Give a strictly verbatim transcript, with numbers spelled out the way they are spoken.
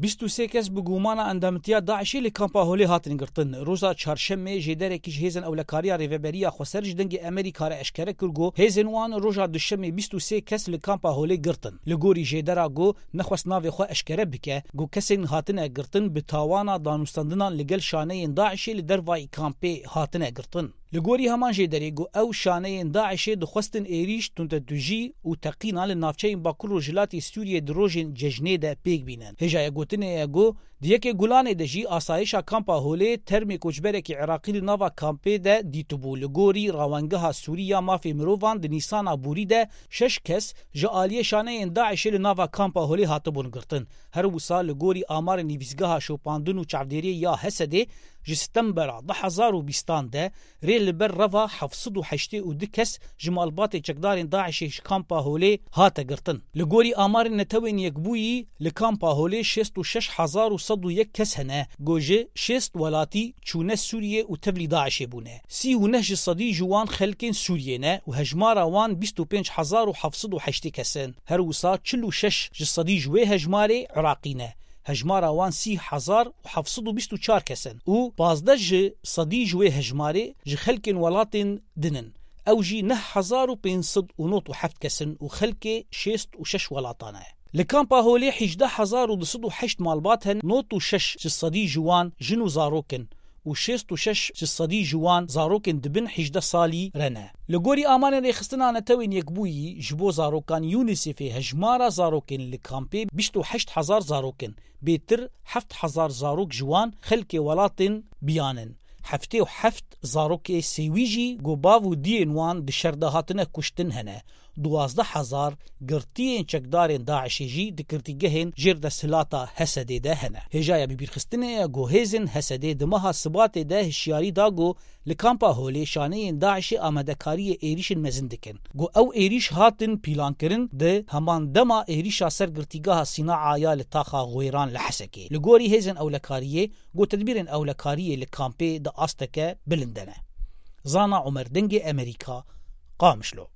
Bîst û sê kes bi gumana endamtiya DAIŞê li kampa Holê hatin girtin. Roja Çarşemê jêderekî ji hêzên ewlekariya Rêveberiya Xweser ji Dengê Amerîka re eşkere kir ku hêzên wan roja Duşemê bîst û sê kes li kampa Holê girtin. Li gorî jêdera ku nexwest navê xwe eşkere bike, ku kesên hatine girtin bi tawana danûstandinan li gel şaneyên DAIŞê li dervayî kampê hatine girtin. Li gorî heman jêderê ku ew şaneyên DAIŞê dixwestin êrîş, tundetûjî û teqîna li navçeyên Bakur Rojhilatê Sûriyê di rojên cejnê de pêk bînin. Hêjaya gotinê ye ku di yekê Gulanê de jî asayişa kampa Holê termê koçberekî Iraqî li nava kampê de dîtibû. Li gorî Rawengeha Sûrî ya Mafê Mirovan di Nîsana borî de şeş kes ji aliyê şaneyên DAIŞê li nava kampa Holê hatibûn girtin. Her wisa li gorî amarên nivîsgeha şopandin û çavdêriyê ya Hesedê ji Stembera du hezar û bîstan de rê li ber reva heft sed û heştê û du kes ji malbatê çekdarên DAIŞê ji kampa Holê hate girtin. Li gorî amarên Netewên Yekbûyî, li kampa Holê şêst û şeş hezar û sed û yek kes hene, ku ji şêst welatî çûne Sûriyê û tevlî DAIŞê bûne. Sî û neh ji sedî ji wan xelkên Sûriyê ne û hejmara wan bîst û pênc hezar û heft sed û heştê kes in. Her wisa çil û şeş ji sedî ji wê hejmarê Iraqî ne. Hejmara wan sî hezar û heft sed û bîst û çar kes in û pazdeh ji sedî ji wê hejmarê ji xelkên welatên din in. Ew jî neh hezar û pênc sed û nod û heft kes in û xelkê şêst û şeş welatan e. Li kampa Holê hejdeh hezar û du sed û heşt malbat hene, nod û şeş ji sedî ji wan jin û zarok in û şêst û şeş ji sedî ji wan zarokên dibin hejdeh salî re ne. Li gorî amarên rêxistina Netewên Yekbûyî ji bo zarokan UNICEFê hejmara zarokên li kampê bîst û heşt hezar zarok in. Bêtir heft hezar zarok ji wan xelkê welatên biyan in. Heftê û heft zarokê sêwî jî ku bav û diyên wan di şer de hatine kuştin hene. Duwazdeh hezar girtiyên çekdarên DAIŞê jî di girtîgehên jêr desthilata Hesedê de hene. Hêjaya bibîrxistinê ye ku hêzên Hesedê di meha Sibatê de hişyarî da ku li kampa Holê şaneyên DAIŞê amadekariyê êrîşên mezin dikin. Ku ew êrîş hatin pîlankirin, di heman dema êrîşa ser girtîgeha Sînaa ya li taxa Xwêran li Hesekê. Li gorî hêzên ewlekariyê, ku tedbîrên ewlekariyê li kampê di asteke bilind de ne. Zana Omer, Dengê Amerîka, Qamişlo.